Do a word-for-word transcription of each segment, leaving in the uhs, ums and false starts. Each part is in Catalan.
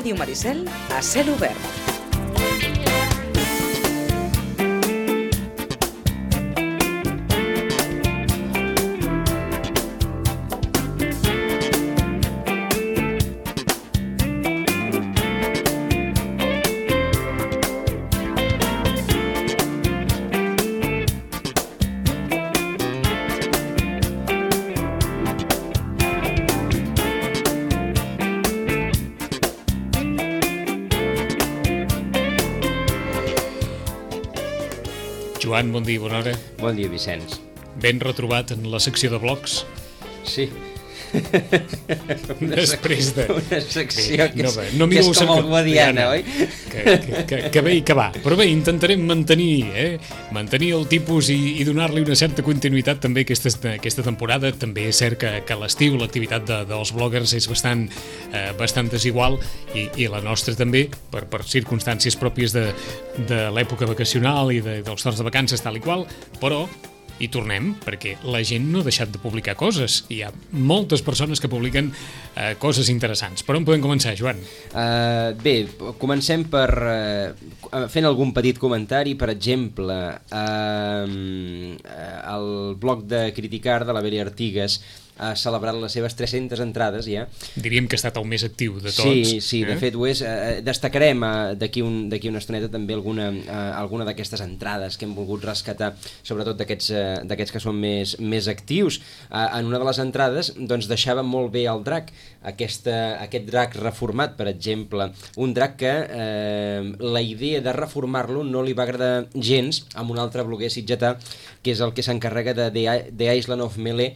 Ràdio Maricel a cel obert. Joan, bon dia, bona hora. Bon dia, Vicenç. Ben retrobat en la secció de blogs. Sí. Després de... Una secció que és, no, no que és com el Guadiana, oi? Que, que, que, que bé i que va. Però bé, intentarem mantenir, eh? mantenir el tipus i, i donar-li una certa continuïtat també aquesta, aquesta temporada. També és cert que, que a l'estiu l'activitat de, dels bloggers és bastant, eh, bastant desigual i, i la nostra també, per, per circumstàncies pròpies de, de l'època vacacional i de, dels torns de vacances tal i qual, però i tornem, perquè la gent no ha deixat de publicar coses. Hi ha moltes persones que publiquen eh, coses interessants. Per on podem començar, Joan? Uh, bé, comencem per uh, fent algun petit comentari. Per exemple, uh, el blog de Criticar de la Beli Artigas ha celebrat les seves tres-centes entrades ja. Diríem que ha estat el més actiu de tots. Sí, sí, eh? de fet ho és. Eh, destacarem eh, d'aquí un, d'aquí una estoneta també alguna, eh, alguna d'aquestes entrades que hem volgut rescatar, sobretot d'aquests eh, d'aquests que són més, més actius. Eh, en una de les entrades doncs, deixava molt bé el drac, aquesta, aquest drac reformat, per exemple, un drac que eh, la idea de reformar-lo no li va agradar gens amb un altre bloguer sitgetà, que és el que s'encarrega de The, The Island of Melee,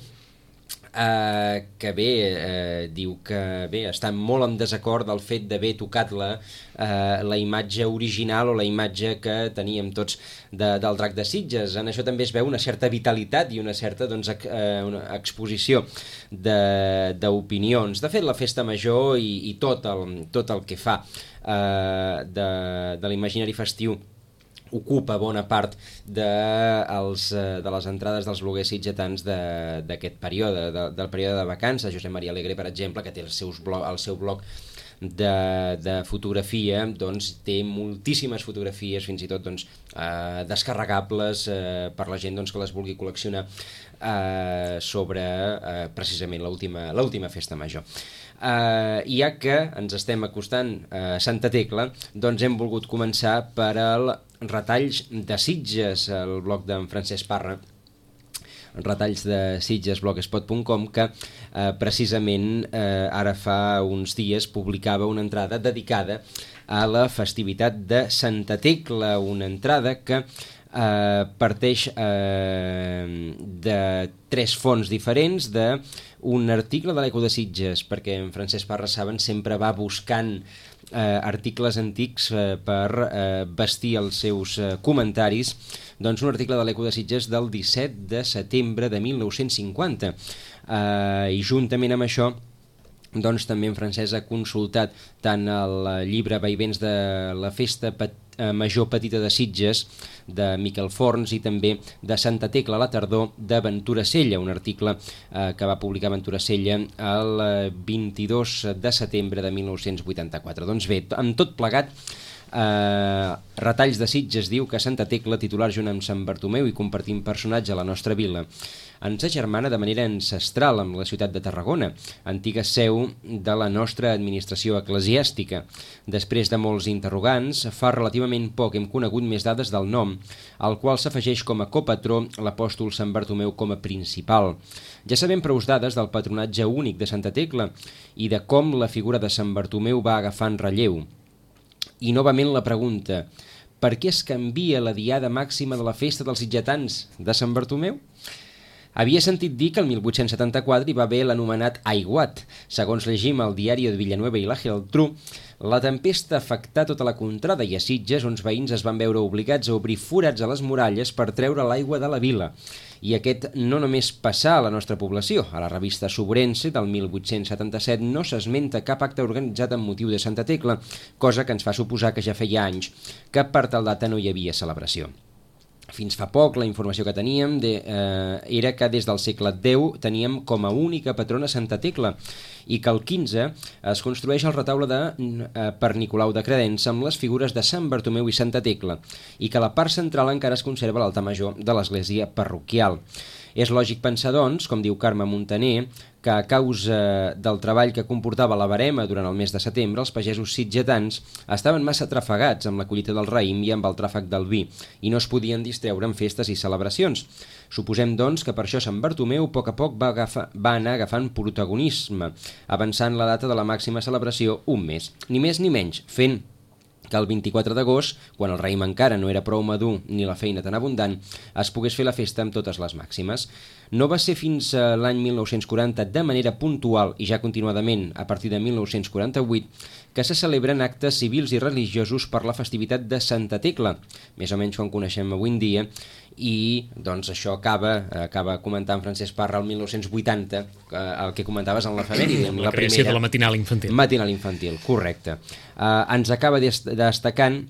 Uh, que bé, uh, diu que bé, està molt en desacord del fet d'haver tocat la, uh, la imatge original o la imatge que teníem tots de, del drac de Sitges. En això també es veu una certa vitalitat i una certa doncs, ex, uh, una exposició d'opinions. De, de fet, la festa major i, i tot, el, tot el que fa uh, de, de l'imaginari festiu ocupa bona part de, els, de les entrades dels bloguers sitgetans d'aquest període, de, del període de vacances. Josep Maria Alegre, per exemple, que té el, seus blog, el seu blog de, de fotografia, doncs té moltíssimes fotografies, fins i tot doncs, eh, descarregables eh, per la gent doncs, que les vulgui col·leccionar eh, sobre eh, precisament l'última l'última festa major. Uh, ja que ens estem acostant a Santa Tecla, doncs hem volgut començar per al Retalls de Sitges, el blog d'en Francesc Parra, retalls de sitges blogspot punt com, que eh, precisament eh, ara fa uns dies publicava una entrada dedicada a la festivitat de Santa Tecla, una entrada que eh, parteix eh, de tres fonts diferents, de un article de l'Eco de Sitges, perquè en Francesc Parra, saben, sempre va buscant eh, articles antics eh, per eh, vestir els seus eh, comentaris. Doncs un article de l'Eco de Sitges del disset de setembre de mil nou-cents cinquanta. Eh, I juntament amb això, doncs també en Francesc ha consultat tant el llibre Vaivents de la Festa Pet Major Petita de Sitges, de Miquel Forns, i també de Santa Tecla a la tardor, de Ventura Sella, un article eh, que va publicar Ventura Sella el vint-i-dos de setembre de mil nou-cents vuitanta-quatre. Doncs bé, amb tot plegat, Uh, Retalls de Sitges diu que Santa Tecla, titular junt amb Sant Bartomeu i compartint personatge a la nostra vila, ens agermana de manera ancestral amb la ciutat de Tarragona, antiga seu de la nostra administració eclesiàstica. Després de molts interrogants, fa relativament poc hem conegut més dades del nom, al qual s'afegeix com a copatró l'apòstol Sant Bartomeu com a principal. Ja sabem prous dades del patronatge únic de Santa Tecla i de com la figura de Sant Bartomeu va agafant relleu. I novament la pregunta, per què es canvia la diada màxima de la festa dels sitgetans de Sant Bartomeu? Havia sentit dir que el mil vuit-cents setanta-quatre hi va haver l'anomenat aiguat. Segons llegim al diari de Villanueva i la Geltrú, la tempesta afectà tota la contrada i a Sitges uns veïns es van veure obligats a obrir forats a les muralles per treure l'aigua de la vila. I aquest no només passà a la nostra població. A la revista Sobrense del mil vuit-cents setanta-set no s'esmenta cap acte organitzat amb motiu de Santa Tecla, cosa que ens fa suposar que ja feia anys que per tal data no hi havia celebració. Fins fa poc la informació que teníem de, eh, era que des del segle deu teníem com a única patrona Santa Tecla i que el quinze es construeix el retaule de eh, per Nicolau de Credença amb les figures de Sant Bartomeu i Santa Tecla i que a la part central encara es conserva l'altar major de l'església parroquial. És lògic pensar, doncs, com diu Carme Montaner, que a causa del treball que comportava la verema durant el mes de setembre, els pagesos sitgetans estaven massa atrafegats amb la collita del raïm i amb el tràfec del vi, i no es podien distreure en festes i celebracions. Suposem, doncs, que per això Sant Bartomeu a poc a poc va, agafar, va anar agafant protagonisme, avançant la data de la màxima celebració un mes, ni més ni menys, fent que el vint-i-quatre d'agost, quan el raïm encara no era prou madur ni la feina tan abundant, es pogués fer la festa amb totes les màximes. No va ser fins a l'any mil nou-cents quaranta, de manera puntual i ja continuadament a partir de mil nou-cents quaranta-vuit, que se celebren actes civils i religiosos per la festivitat de Santa Tecla, més o menys com coneixem avui en dia, i doncs això acaba, acaba comentant Francesc Parra el mil nou-cents vuitanta, el que comentaves en l'efemèride, la, la creació primera, de la matinal infantil. Matinal infantil, correcte. Uh, ens acaba destacant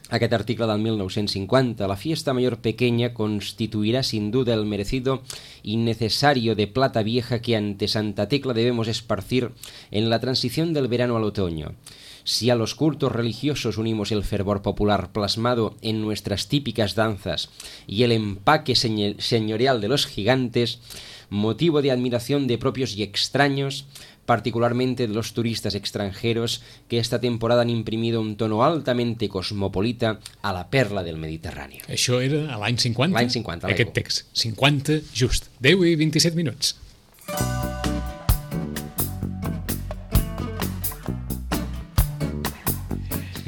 aquest article del mil nou-cents cinquanta. La fiesta mayor pequeña constituirá sin duda el merecido y necesario de plata vieja que ante Santa Tecla debemos esparcir en la transición del verano al otoño. Si a los cultos religiosos unimos el fervor popular plasmado en nuestras típicas danzas y el empaque señorial de los gigantes, motivo de admiración de propios y extraños, particularmente de los turistas extranjeros que esta temporada han imprimido un tono altamente cosmopolita a la perla del Mediterrani. Això era a l'any cinquanta? L'any cinquanta, aquest text. cinquanta, just. deu i vint-i-set minuts.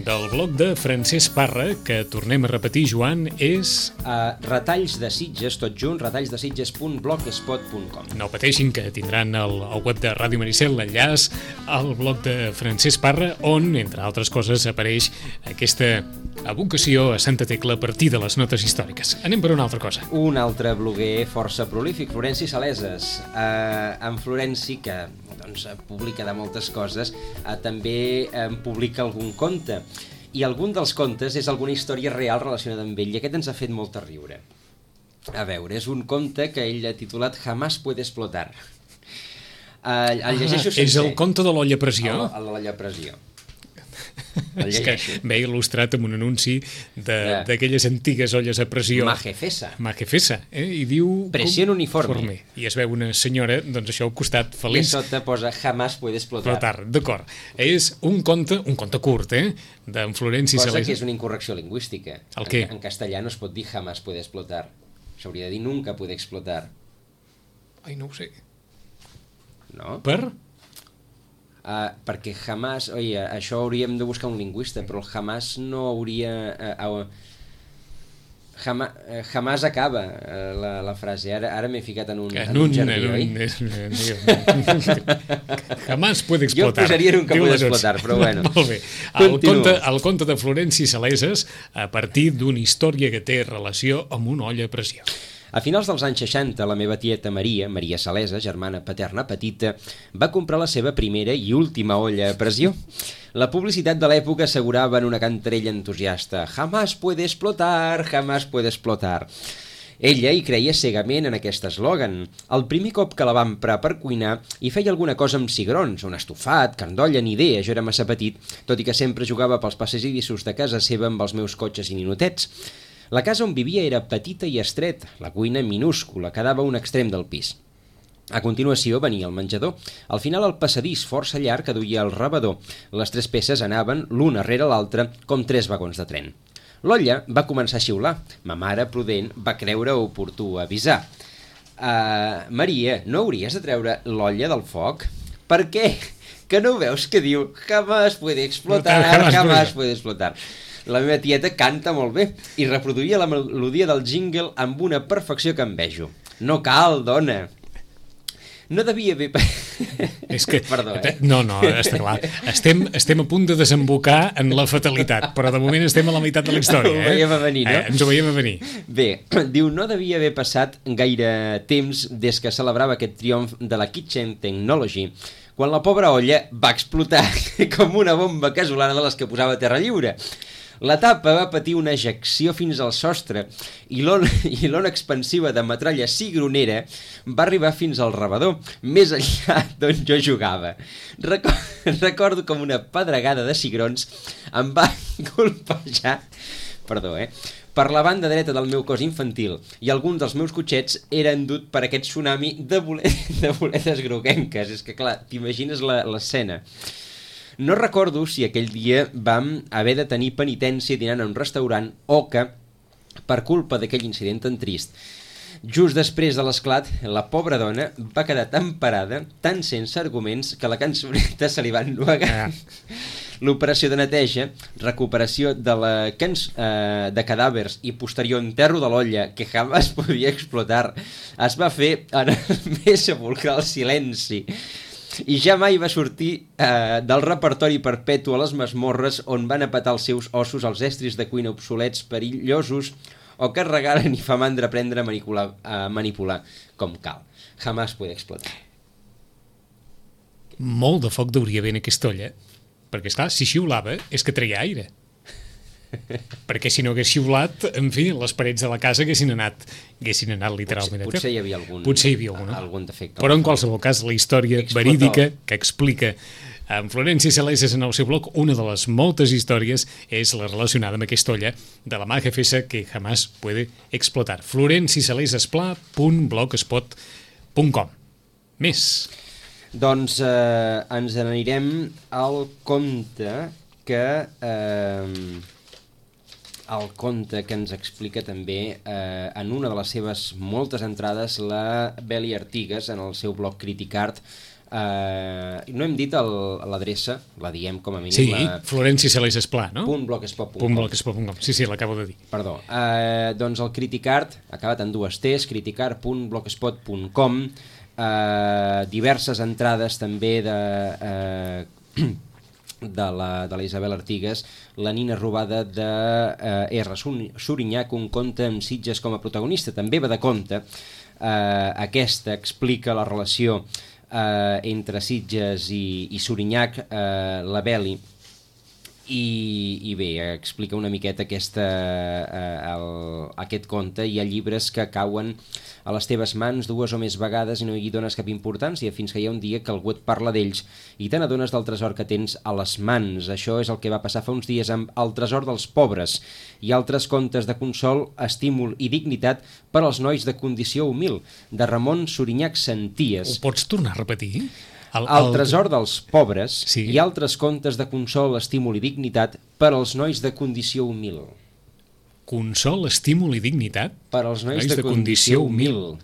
Del blog de Francesc Parra, que tornem a repetir, Joan, és... Uh, retalls de Sitges, tot junt, retalls de sitges punt blogspot punt com. No pateixin, que tindran el, el web de Ràdio Maricel, l'enllaç al blog de Francesc Parra, on, entre altres coses, apareix aquesta evocació a Santa Tecla a partir de les notes històriques. Anem per una altra cosa. Un altre bloguer força prolífic, Florenci Saleses. Uh, en Florenci, que doncs, publica de moltes coses, uh, també uh, publica algun conte. I algun dels contes és alguna història real relacionada amb ell, i aquest ens ha fet molt riure. A veure, és un conte que ell ha titulat Jamás puede explotar. Uh, el llegeixo sencer. És el conte de l'olla a pressió? El, el de l'olla a pressió. És que ve il·lustrat amb un anunci d'aquelles antigues olles a pressió. Majefesa. Majefesa, eh? I diu... Presión uniforme. I es veu una senyora, doncs això al costat, feliç. I sota posa Jamás puede explotar. Explotar, d'acord. És un conte, un conte curt, eh? D'en Florenci Saleses. Cosa que és una incorrecció lingüística. El què? En, en castellà no es pot dir Jamás puede explotar. S'hauria de dir Nunca puede explotar. Ai, no ho sé. No? Per? Uh, perquè jamás, oi, això hauríem de buscar un lingüista, però el jamás no hauria... Uh, uh, jama, uh, jamás acaba uh, la, la frase. Ara, ara m'he ficat en un, en un, un jardí, en un, oi? Jamás puede explotar. Jo posaria Nunca puede explotar, però bueno. Molt bé. El conte, el conte de Florenci Saleses a partir d'una història que té relació amb una olla a pressió. A finals dels anys seixanta, la meva tieta Maria, Maria Salesa, germana paterna petita, va comprar la seva primera i última olla a pressió. La publicitat de l'època assegurava en una cantarella entusiasta «Jamás puede explotar, jamás puede explotar». Ella hi creia cegament en aquest eslògan. El primer cop que la va emprar per cuinar hi feia alguna cosa amb cigrons, un estofat, carn d'olla, ni idea, jo era massa petit, tot i que sempre jugava pels passadissos de casa seva amb els meus cotxes i ninotets. La casa on vivia era petita i estreta, la cuina minúscula, quedava a un extrem del pis. A continuació venia el menjador. Al final el passadís força llarg que duia el rebedor. Les tres peces anaven l'una rere l'altra com tres vagons de tren. L'olla va començar a xiular. Ma mare, prudent, va creure oportú avisar. Uh, Maria, no hauries de treure l'olla del foc? Per què? Que no veus que diu jamás puede explotar, jamás puede explotar. La meva tieta canta molt bé i reproduïa la melodia del jingle amb una perfecció que envejo. No cal, dona. No devia haver... És que... Perdó, eh? No, no, està clar. Estem, estem a punt de desembocar en la fatalitat, però de moment estem a la meitat de la història. Eh? Ho veiem a venir, no? Eh, ens ho veiem a venir. Bé, diu, no devia haver passat gaire temps des que celebrava aquest triomf de la Kitchen Technology, quan la pobra olla va explotar com una bomba casolana de les que posava a terra lliure. La tapa va patir una ejecció fins al sostre i l'ona i l'ona expansiva de metralla cigronera va arribar fins al rebedor, més enllà d'on jo jugava. Record, recordo com una pedregada de cigrons em va colpejar, perdó, eh, per la banda dreta del meu cos infantil i alguns dels meus cotxets eren dut per aquest tsunami de, bolet, de boletes groguenques. És que clar, t'imagines l'escena. No recordo si aquell dia vam haver de tenir penitència dinant en un restaurant o que, per culpa d'aquell incident tan trist, just després de l'esclat, la pobra dona va quedar tan parada, tan sense arguments, que la cançoneta se li va ennuegar. Ah. L'operació de neteja, recuperació de, la cans eh, de cadàvers i posterior enterro de l'olla que jamás podia explotar es va fer en el més sepulcral silenci i ja mai va sortir eh, del repertori perpetu a les masmorres on van a petar els seus ossos als estris de cuina obsolets, perillosos o que regaren i fa mandra aprendre a manipular, a manipular com cal. Jamás podia explotar. Molt de foc deuria haver en aquesta olla, perquè, esclar, si xiulava és que treia aire. Perquè si no hagués xiulat, en fi, les parets de la casa haguessin anat, haguessin anat literalment. Potser, potser hi havia algun, potser hi havia algun, algun defecte. Però en qualsevol cas, la història Explotó. verídica que explica en Florenci Saleses en el seu blog, una de les moltes històries és la relacionada amb aquesta olla de la Maja Fesa que jamás puede explotar. florenci saleses pla punt blogspot punt com. Més. Doncs eh, ens n'anirem al conte que eh, el conte que ens explica també eh, en una de les seves moltes entrades la Beli Artigas en el seu blog Criticart. Uh, no hem dit l'adreça, la diem com a mínim. Sí, la... Florenci Saleses Pla, no? Punt blogspot punt com. Punt blogspot punt com. Sí, sí, l'acabo de dir. Perdó. Uh, doncs el Criticart, acabat en dues T's, criticart punt blogspot punt com, uh, diverses entrades també de... Uh, de la, de la Isabel Artigas, La nina robada de eh, R. Surinyac, un conte amb Sitges com a protagonista. També va de conte. Eh, aquesta explica la relació eh, entre Sitges i, i Surinyac, eh, la Beli, i, i bé, explica una miqueta aquesta, eh, el, aquest conte. Hi ha llibres que cauen a les teves mans dues o més vegades i no hi dones cap importància fins que hi ha un dia que algú et parla d'ells i te n'adones del tresor que tens a les mans. Això és el que va passar fa uns dies amb El tresor dels pobres i altres contes de consol, estímul i dignitat per als nois de condició humil, de Ramon Surinyac Senties. Ho pots tornar a repetir? El, el... el tresor dels pobres, sí, i altres contes de consol, estímul i dignitat per als nois de condició humil. Consol, estímul i dignitat? Per als nois, nois de, de condició, condició humil.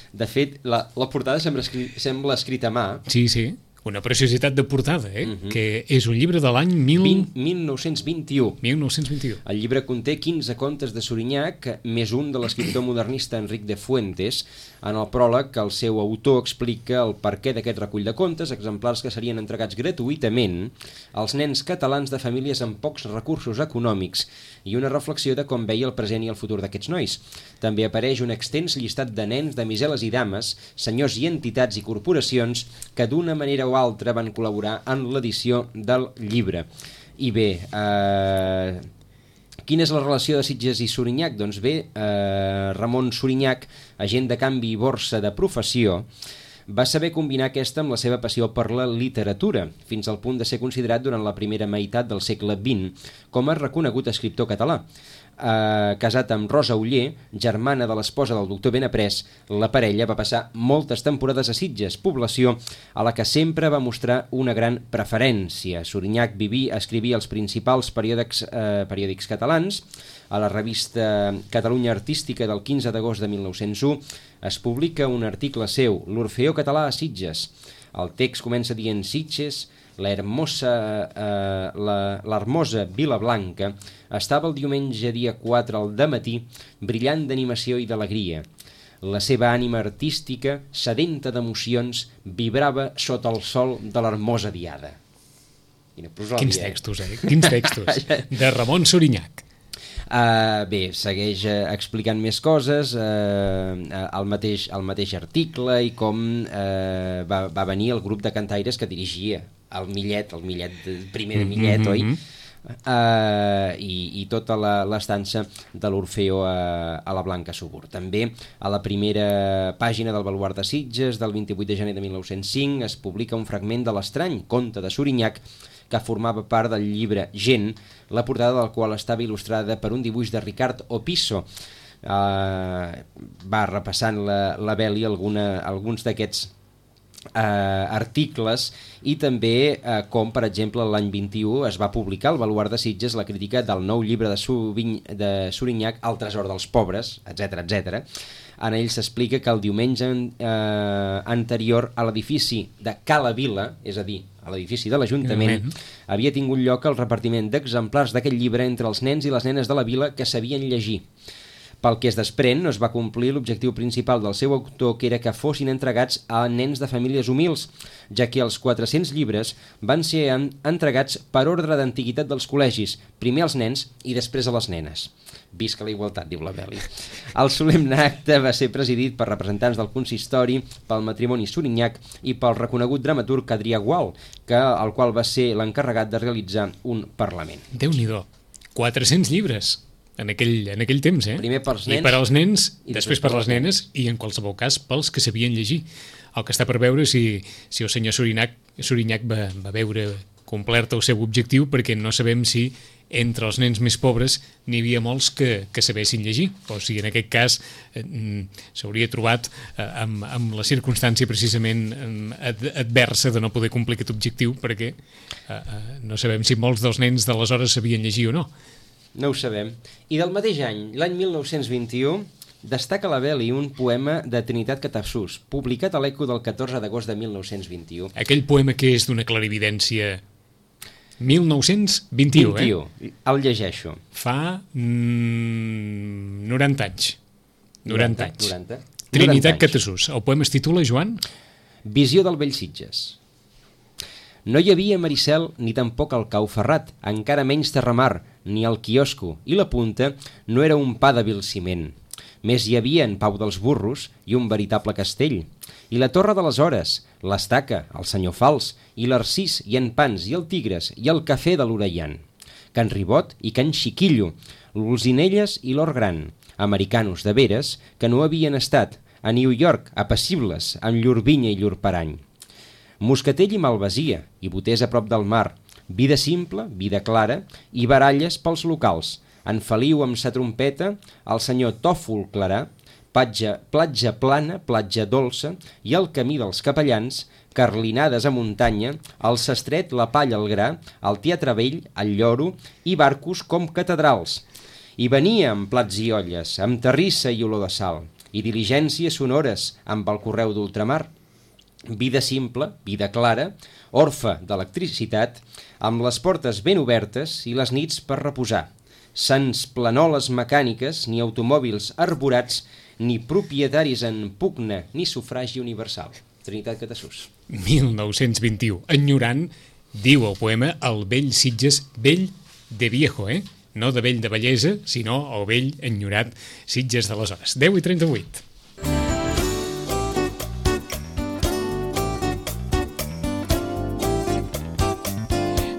De fet, la, la portada sembla, escri sembla escrita a mà. Sí, sí. Una preciositat de portada, eh? Uh-huh. Que és un llibre de l'any mil... mil nou-cents vint-i-u. mil nou-cents vint-i-u. El llibre conté quinze contes de Surinyac, més un de l'escriptor modernista Enric de Fuentes. En el pròleg, el seu autor explica el perquè d'aquest recull de contes, exemplars que serien entregats gratuïtament als nens catalans de famílies amb pocs recursos econòmics i una reflexió de com veia el present i el futur d'aquests nois. També apareix un extens llistat de nens, damiseles i dames, senyors i entitats i corporacions que d'una manera o altra van col·laborar en l'edició del llibre. I bé, eh, quina és la relació de Sitges i Surinyac? Doncs bé, eh, Ramon Surinyac, agent de canvi i borsa de professió, va saber combinar aquesta amb la seva passió per la literatura, fins al punt de ser considerat durant la primera meitat del segle vint com a reconegut escriptor català. Eh, casat amb Rosa Oller, germana de l'esposa del doctor Benaprés, la parella va passar moltes temporades a Sitges, població a la que sempre va mostrar una gran preferència. Surinyac vivia, escrivia els principals periòdics, eh, periòdics catalans. A la revista Catalunya Artística del quinze d'agost de mil nou-cents u es publica un article seu, L'Orfeó català a Sitges. El text comença dient Sitges, la hermosa, eh, la, l'hermosa Vila Blanca, estava el diumenge dia quatre al dematí, brillant d'animació i d'alegria. La seva ànima artística, sedenta d'emocions, vibrava sota el sol de l'hermosa diada. Quins textos, eh? Quins textos. De Ramon Surinyac. Uh, bé, segueix uh, explicant més coses, uh, el, mateix, el mateix article i com uh, va, va venir el grup de cantaires que dirigia el Millet, el Millet primer de Millet, mm-hmm. oi? Uh, i, i tota l'estança de l'Orfeo a, a la Blanca Subur. També a la primera pàgina del Baluard de Sitges del vint-i-vuit de gener de mil nou-cents cinc es publica un fragment de l'Estrany, conte de Sorinyac, que formava part del llibre Gent, la portada del qual estava il·lustrada per un dibuix de Ricard Opisso. Uh, va repassant la, la Beli alguna, alguns d'aquests Uh, articles i també uh, com per exemple l'any vint-i-u es va publicar al Baluard de Sitges la crítica del nou llibre de, Subiny, de Sorinyac, El tresor dels pobres, etc etcètera. En ell s'explica que el diumenge uh, anterior a l'edifici de Cala Vila, és a dir, a l'edifici de l'Ajuntament, havia tingut lloc el repartiment d'exemplars d'aquest llibre entre els nens i les nenes de la vila que sabien llegir. Pel que es desprèn, no es va complir l'objectiu principal del seu autor, que era que fossin entregats a nens de famílies humils, ja que els quatre-cents llibres van ser entregats per ordre d'antiguitat dels col·legis, primer als nens i després a les nenes. Visca la igualtat, diu la Beli. El solemne acte va ser presidit per representants del consistori, pel matrimoni Sorinyac i pel reconegut dramaturg Adrià Gual, que, el qual va ser l'encarregat de realitzar un parlament. Déu-n'hi-do, quatre-cents llibres en aquell, en aquell temps, eh? Primer pels nens. I per als nens, i després per les nenes, i en qualsevol cas pels que sabien llegir. El que està per veure si, si el senyor Sorinyac, Sorinyac va, va veure complert el seu objectiu, perquè no sabem si entre els nens més pobres n'hi havia molts que, que sabessin llegir, o sigui, en aquest cas eh, s'hauria trobat eh, amb, amb la circumstància precisament eh, adversa de no poder complir aquest objectiu, perquè eh, eh, no sabem si molts dels nens d'aleshores sabien llegir o no. No ho sabem. I del mateix any, l'any mil nou-cents vint-i-u, destaca la Beli un poema de Trinitat Catassús, publicat a l'Eco del catorze d'agost de mil nou-cents vint-i-u. Aquell poema que és d'una clarividència mil nou-cents vint-i-u, vint-i-u, eh? El llegeixo. Fa mm, noranta anys. noranta anys. noranta. Trinitat Catassús. El poema es titula, Joan? Visió del vell Sitges. No hi havia Maricel ni tampoc el cau ferrat, encara menys terramar, ni el quiosco, i la punta no era un pa de vil ciment. Més hi havia en Pau dels Burros i un veritable castell. I la Torre de les Hores, l'Estaca, el Senyor Fals, i l'Arcís, i en Pans, i el Tigres, i el Cafè de l'Orellan. Can Ribot i Can Xiquillo, l'Olzinelles i l'Or Gran, americanos de veres que no havien estat a New York, apassibles, amb llur vinya i llur parany. Moscatell i malvasia, i botés a prop del mar, vida simple, vida clara, i baralles pels locals. En Feliu amb sa trompeta, el senyor Tòfol Clarà, platja, platja plana, platja dolça, i el camí dels capellans, carlinades a muntanya, el sastret, la palla, el gra, el teatre vell, el lloro, i barcos com catedrals. I venia amb plats i olles, amb terrissa i olor de sal, i diligències sonores amb el correu d'ultramar. Vida simple, vida clara, orfe d'electricitat, amb les portes ben obertes i les nits per reposar. Sans planoles mecàniques, ni automòbils arborats, ni propietaris en pugna, ni sufragi universal. Trinitat Catassús. mil nou-cents vint-i-u. Enyorant, diu el poema, el vell Sitges, vell de viejo, eh? No de vell de bellesa, sinó el vell enyorat Sitges d'aleshores. deu i trenta-vuit.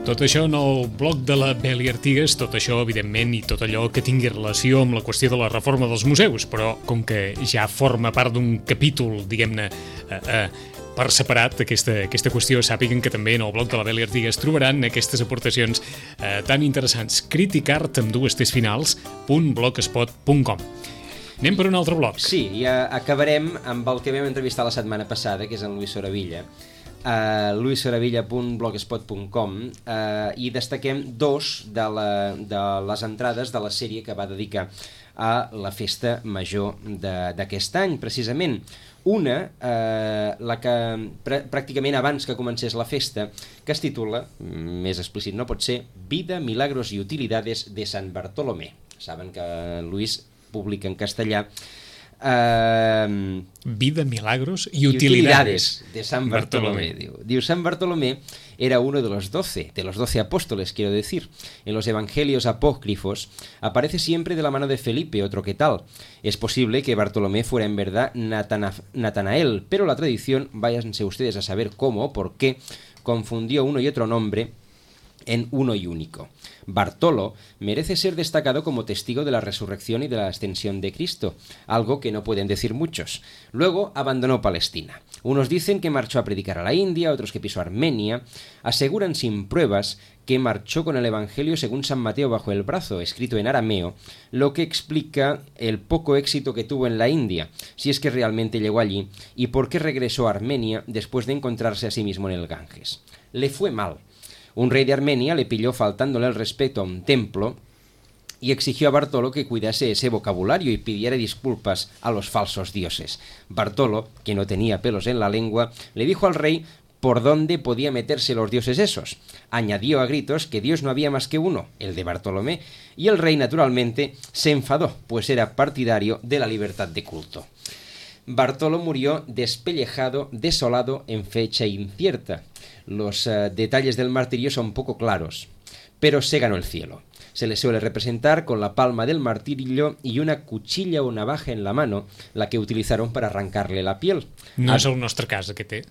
Tot això en el blog de la Beli Artigas, tot això, evidentment, i tot allò que tingui relació amb la qüestió de la reforma dels museus, però com que ja forma part d'un capítol, diguem-ne, eh, eh, per separat, aquesta, aquesta qüestió, sàpiguen que també en el blog de la Beli Artigas trobaran aquestes aportacions eh, tan interessants. Criticart amb dues tes finals, punt blogspot punt com. Anem per un altre blog. Sí, i acabarem amb el que vam entrevistar la setmana passada, que és en Luis Soravilla, Uh, luis soravilla punt blogspot punt com, uh, i destaquem dos de, la, de les entrades de la sèrie que va dedicar a la festa major d'aquest any, precisament. Una, uh, la que pr pràcticament abans que comencés la festa, que es titula, més explícit no pot ser, Vida, Milagros y Utilidades de San Bartolomé. Saben que Luis publica en castellà Uh, Vida, Milagros y, y utilidades, utilidades de San Bartolomé. Bartolomé. Diu. Diu, San Bartolomé era uno de los doce, de los doce apóstoles, quiero decir. En los evangelios apócrifos aparece siempre de la mano de Felipe, otro que tal. Es posible que Bartolomé fuera en verdad Natana Natanael, pero la tradición, váyanse ustedes a saber cómo o por qué, confundió uno y otro nombre en uno y único. Bartolo merece ser destacado como testigo de la resurrección y de la ascensión de Cristo, algo que no pueden decir muchos. Luego abandonó Palestina. Unos dicen que marchó a predicar a la India, otros que pisó Armenia. Aseguran sin pruebas que marchó con el Evangelio según San Mateo bajo el brazo, escrito en arameo, lo que explica el poco éxito que tuvo en la India, si es que realmente llegó allí, y por qué regresó a Armenia después de encontrarse a sí mismo en el Ganges. Le fue mal. Un rey de Armenia le pilló faltándole el respeto a un templo y exigió a Bartolo que cuidase ese vocabulario y pidiera disculpas a los falsos dioses. Bartolo, que no tenía pelos en la lengua, le dijo al rey por dónde podía meterse los dioses esos. Añadió a gritos que Dios no había más que uno, el de Bartolomé, y el rey naturalmente se enfadó, pues era partidario de la libertad de culto. Bartolo murió despellejado, desolado, en fecha incierta. Los uh, detalles del martirio son poco claros, pero se ganó el cielo. Se le suele representar con la palma del martirio y una cuchilla o navaja en la mano, la que utilizaron para arrancarle la piel. No ah, és el nostre cas, aquest, eh?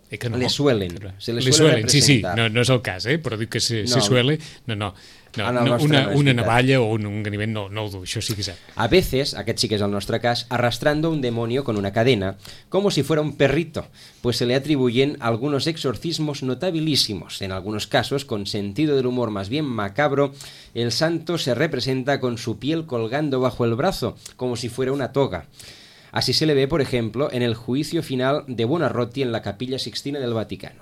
Eh que no. Le suelen, se le, le suelen, suelen sí, sí, no, no és el cas, eh? Però dic que se, no. se suele, no, no, no, no una, no una navalla o un, un ganivet no, no ho du, això sí que és cert. A veces, aquest sí que és el nostre cas, arrastrando un demonio con una cadena, como si fuera un perrito, pues se le atribuyen algunos exorcismos notabilísimos. En algunos casos, con sentido del humor más bien macabro, el santo se representa con su piel colgando bajo el brazo, como si fuera una toga. Así se le ve, por ejemplo, en el juicio final de Buonarroti en la Capilla Sixtina del Vaticano.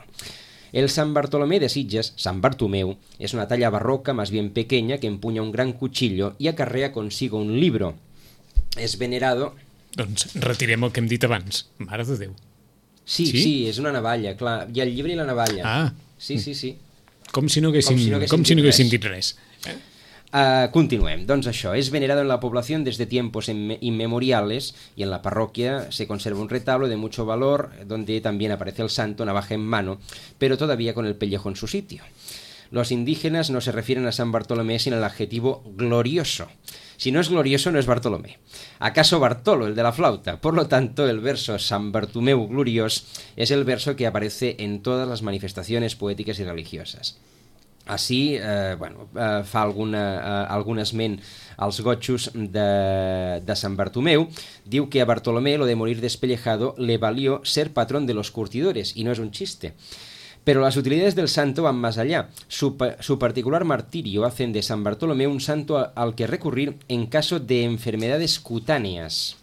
El San Bartolomé de Sitges, San Bartomeu, es una talla barroca más bien pequeña que empuña un gran cuchillo y acarrea consigo un libro. Es venerado... Doncs retirem el que hem dit abans. Mare de Déu. Sí, sí, sí, és una navalla, clar. Hi ha el llibre i la navalla. Ah. Sí, sí, sí. Com si no haguessin, com si no haguessin, com si no haguessin dit res. Eh? Uh, continuem, doncs això, es venerado en la población desde tiempos inmemoriales y en la parroquia se conserva un retablo de mucho valor donde también aparece el santo navaja en mano, pero todavía con el pellejo en su sitio. Los indígenas no se refieren a San Bartolomé sin el adjetivo glorioso. Si no es glorioso, no es Bartolomé. ¿Acaso Bartolo, el de la flauta? Por lo tanto, el verso San Bartomeu gloriós es el verso que aparece en todas las manifestaciones poéticas y religiosas. Així, eh, bueno, eh, fa alguna, eh, algun esment als gotxos de, de Sant Bartomeu. Diu que a Bartolomé lo de morir despellejado le valió ser patrón de los curtidores, y no es un chiste. Pero las utilidades del santo van más allá. Su, su particular martirio hacen de San Bartolomé un santo al que recurrir en caso de enfermedades cutáneas.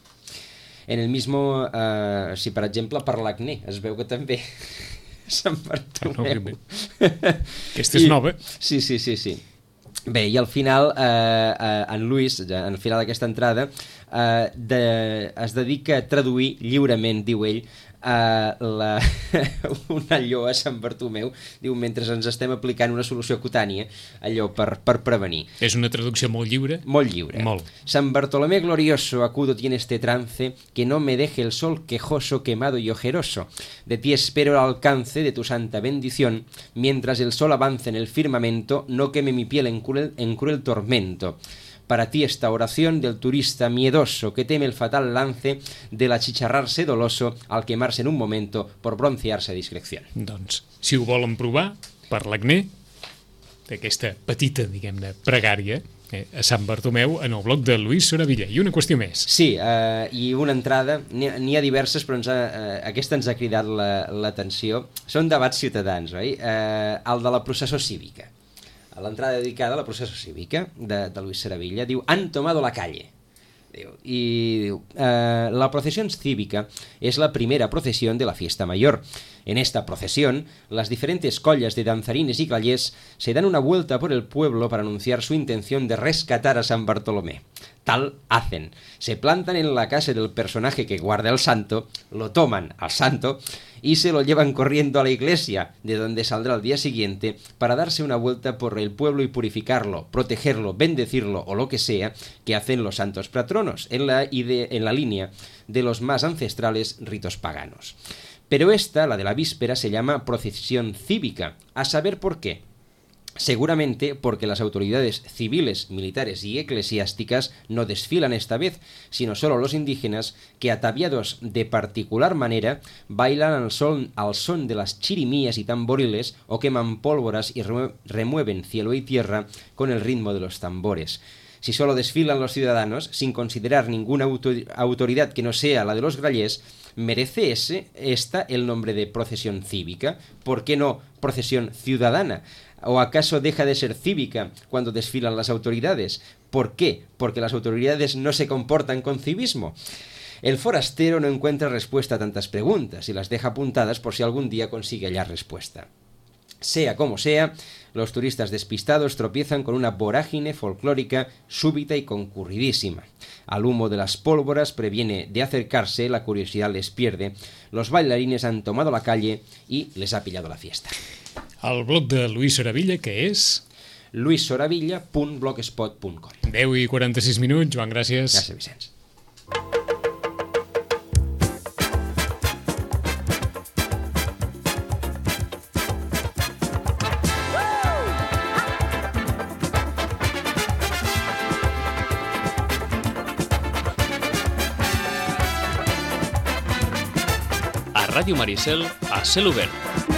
En el mismo, eh, si per exemple per l'acné, es veu que també... Sant Bartomeu. No, aquesta és nova. Sí, sí, sí, sí. Bé, i al final, eh, eh, en Luis, ja, al final d'aquesta entrada, eh, de, es dedica a traduir lliurement, diu ell, Uh, la, una allò a Sant Bartomeu, diu, mentre ens estem aplicant una solució cutània, allò per, per prevenir. És una traducció molt lliure? Molt lliure. Molt. San Bartolomé glorioso, acudo tiene este trance, que no me deje el sol quejoso, quemado y ojeroso. De ti espero el alcance de tu santa bendición, mientras el sol avance en el firmamento, no queme mi piel en cruel, en cruel tormento. Para ti esta oración del turista miedoso que teme el fatal lance del achicharrarse doloso al quemarse en un momento por broncearse a discreción. Doncs, si ho volen provar, per l'acné, d'aquesta petita, diguem-ne, pregària, eh, a Sant Bartomeu, en el blog de Luis Soravilla. I una qüestió més. Sí, eh, i una entrada, n'hi ha, n'hi ha diverses, però ens ha, eh, aquesta ens ha cridat l'atenció. La, Són debats ciutadans, oi? Eh, el de la processó cívica. A l'entrada dedicada a la processó cívica de, de Luis Soravilla, diu, han tomado la calle. Diu, y diu, eh, la procesión cívica es la primera procesión de la fiesta mayor. En esta procesión, las diferentes collas de danzarines y clayés se dan una vuelta por el pueblo para anunciar su intención de rescatar a San Bartolomé. Tal hacen. Se plantan en la casa del personaje que guarda el santo, lo toman al santo y se lo llevan corriendo a la iglesia, de donde saldrá al día siguiente para darse una vuelta por el pueblo y purificarlo, protegerlo, bendecirlo o lo que sea que hacen los santos patronos, en la, ide- en la línea de los más ancestrales ritos paganos. Pero esta, la de la víspera, se llama procesión cívica. ¿A saber por qué? Seguramente porque las autoridades civiles, militares y eclesiásticas no desfilan esta vez, sino solo los indígenas que, ataviados de particular manera, bailan al son, al son de las chirimías y tamboriles o queman pólvoras y remueven cielo y tierra con el ritmo de los tambores. Si solo desfilan los ciudadanos, sin considerar ninguna autor- autoridad que no sea la de los grallés, ¿merece ese, esta el nombre de procesión cívica? ¿Por qué no procesión ciudadana? ¿O acaso deja de ser cívica cuando desfilan las autoridades? ¿Por qué? ¿Porque las autoridades no se comportan con civismo? El forastero no encuentra respuesta a tantas preguntas y las deja apuntadas por si algún día consigue hallar respuesta. Sea como sea, los turistas despistados tropiezan con una vorágine folclórica súbita y concurridísima. Al humo de las pólvoras previene de acercarse, la curiosidad les pierde, los bailarines han tomado la calle y les ha pillado la fiesta. El blog de Luis Soravilla, que és? luis soravilla punt blogspot punt com. deu i quaranta-sis minuts, Joan, gràcies. Gràcies, Vicenç. A Ràdio Maricel, a cel obert.